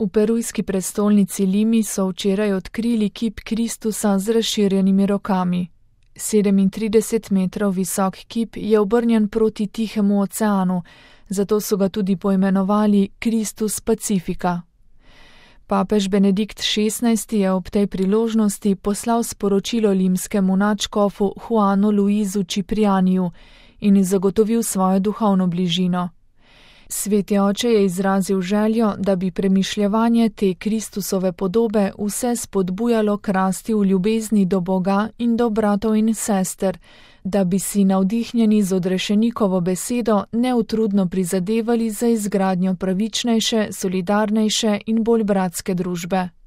V perujski prestolnici Limi so včeraj odkrili kip Kristusa z razširjenimi rokami. 37 metrov visok kip je obrnjen proti Tihemu oceanu, zato so ga tudi poimenovali Kristus Pacifika. Papež Benedikt XVI je ob tej priložnosti poslal sporočilo limskemu nadškofu Juanu Luizu Ciprianiju in zagotovil svojo duhovno bližino. Sveti oče je izrazil željo, da bi premišljevanje te Kristusove podobe vse spodbujalo k rasti v ljubezni do Boga in do bratov in sester, da bi si navdihnjeni z odrešenikovo besedo neutrudno prizadevali za izgradnjo pravičnejše, solidarnejše in bolj bratske družbe.